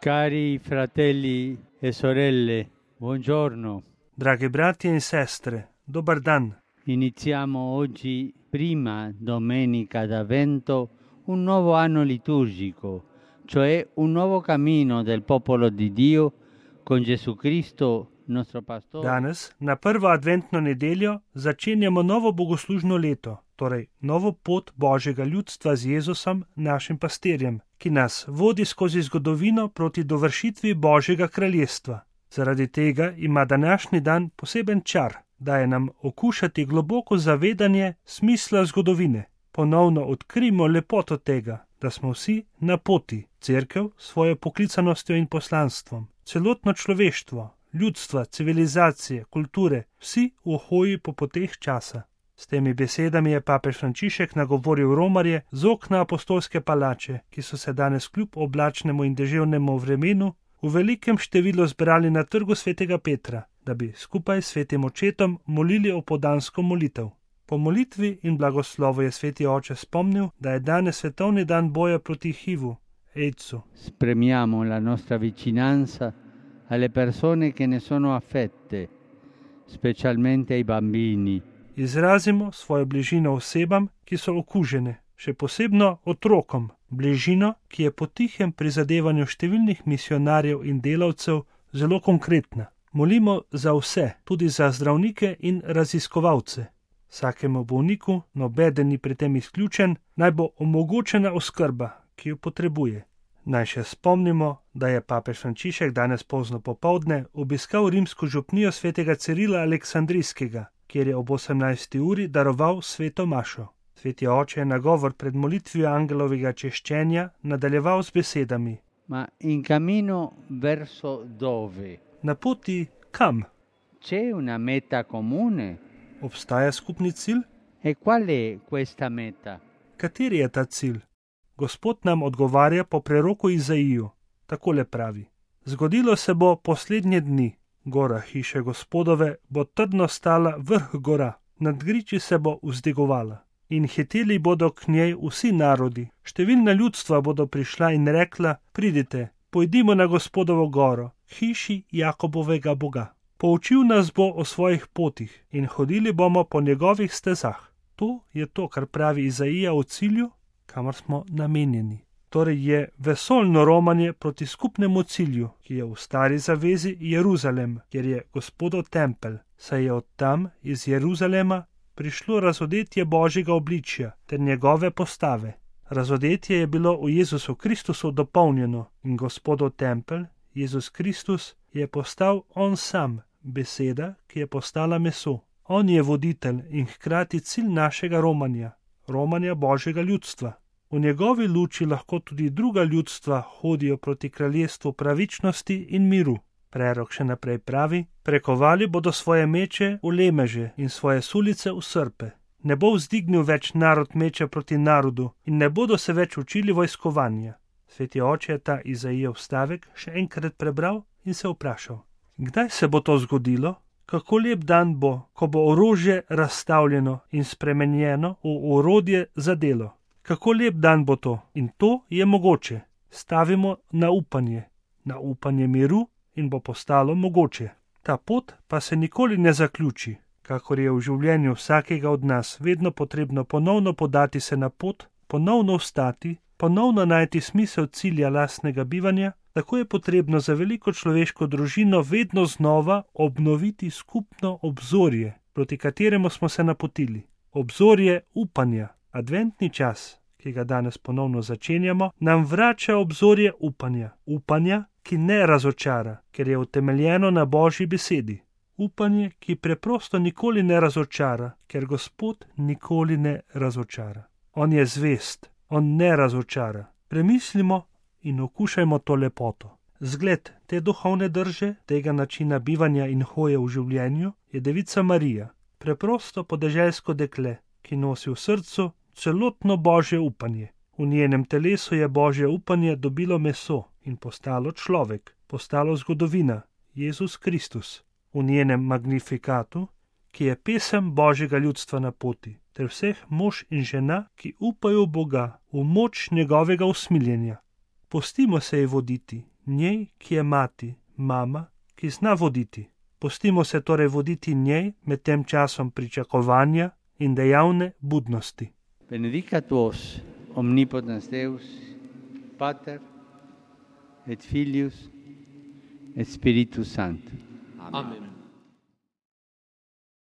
Cari fratelli e sorelle, buongiorno. Dragi bratje in sestre, dobar dan. Iniziamo oggi, prima domenica d'Avvento, un nuovo anno liturgico, cioè un nuovo cammino del popolo di Dio con Gesù Cristo, nostro pastore. Danes, na prvo adventno nedeljo, začenjamo novo bogoslužno leto, torej novo pot Božjega ljudstva z Jezusom, našim pastirjem, ki nas vodi skozi zgodovino proti dovršitvi Božjega kraljestva. Zaradi tega ima današnji dan poseben čar, daje nam okušati globoko zavedanje smisla zgodovine. Ponovno odkrijmo lepoto tega, da smo vsi na poti, cerkev s svojo poklicanostjo in poslanstvom, celotno človeštvo, ljudstva, civilizacije, kulture, vsi v hoji po poteh časa. S temi besedami je papež Frančišek nagovoril romarje z okna apostolske palače, ki so se danes kljub oblačnemu in deževnemu vremenu v velikem številu zbrali na trgu svetega Petra, da bi skupaj s svetim očetom molili opoldansko molitev. Po molitvi in blagoslovu je sveti oče spomnil, da je danes svetovni dan boja proti HIV-u, AIDS-u. Esprimiamo la nostra vicinanza alle persone che ne sono affette, specialmente ai bambini. Izrazimo svojo bližino osebam, ki so okužene, še posebno otrokom, bližino, ki je po tihem prizadevanju številnih misionarjev in delavcev zelo konkretna. Molimo za vse, tudi za zdravnike in raziskovalce. Vsakemu bolniku, nobeden ni pri tem izključen, naj bo omogočena oskrba, ki jo potrebuje. Naj še spomnimo, da je papež Frančišek danes pozno popoldne obiskal rimsko župnijo svetega Cirila Aleksandrijskega, kjer je ob 18. uri daroval sveto mašo. Sveti oče je nagovor pred molitvijo angelovega češčenja nadaljeval z besedami: Ma in cammino verso dove? Na poti kam? C'è una meta comune? Obstaja skupni cilj? E qual è questa meta? Kateri je ta cilj? Gospod nam odgovarja po preroku Izaiju. Takole pravi: Zgodilo se bo poslednje dni. Gora hiše Gospodove bo trdno stala vrh gora, nad griči se bo vzdigovala. In hiteli bodo k njej vsi narodi, številna ljudstva bodo prišla in rekla: Pridite, pojdimo na Gospodovo goro, hiši Jakobovega Boga. Poučil nas bo o svojih potih in hodili bomo po njegovih stezah. To je to, kar pravi Izaija o cilju, kamor smo namenjeni. Torej je vesoljno romanje proti skupnemu cilju, ki je v stari zavezi Jeruzalem, kjer je Gospodov tempelj, saj je od tam iz Jeruzalema prišlo razodetje Božjega obličja ter njegove postave. Razodetje je bilo v Jezusu Kristusu dopolnjeno in Gospodov tempelj, Jezus Kristus, je postal on sam, beseda, ki je postala meso. On je voditelj in hkrati cilj našega romanja Božjega ljudstva. V njegovi luči lahko tudi druga ljudstva hodijo proti kraljestvu pravičnosti in miru. Prerok še naprej pravi: Prekovali bodo svoje meče v lemeže in svoje sulice v srpe. Ne bo vzdignil več narod meče proti narodu in ne bodo se več učili vojskovanja. Sveti oče je ta Izaijev stavek še enkrat prebral in se vprašal: Kdaj se bo to zgodilo? Kako lep dan bo, ko bo orožje razstavljeno in spremenjeno v orodje za delo. Kako lep dan bo to, in to je mogoče. Stavimo na upanje miru in bo postalo mogoče. Ta pot pa se nikoli ne zaključi, kakor je v življenju vsakega od nas vedno potrebno ponovno podati se na pot, ponovno vstati, ponovno najti smisel cilja lastnega bivanja, tako je potrebno za veliko človeško družino vedno znova obnoviti skupno obzorje, proti kateremu smo se napotili. Obzorje upanja. Adventni čas, ki ga danes ponovno začenjamo, nam vrača obzorje upanja, ki ne razočara, ker je utemeljeno na Božji besedi. Upanje, ki preprosto nikoli ne razočara, ker Gospod nikoli ne razočara. On je zvest, on ne razočara. Premislimo in okušajmo to lepoto. Zgled te duhovne drže, tega načina bivanja in hoje v življenju je Devica Marija, preprosto podeželsko dekle, ki nosi v srcu celotno Božje upanje. V njenem telesu je Božje upanje dobilo meso in postalo človek, postalo zgodovina, Jezus Kristus. V njenem magnifikatu, ki je pesem Božjega ljudstva na poti, ter vseh mož in žena, ki upajo v Boga, v moč njegovega usmiljenja. Pustimo se ji voditi, njej, ki je mati, mama, ki zna voditi. Pustimo se torej voditi njej med tem časom pričakovanja in dejavne budnosti. Benedicat vos, omnipotens Deus, Pater et Filius et Spiritus Sanctus. Amen.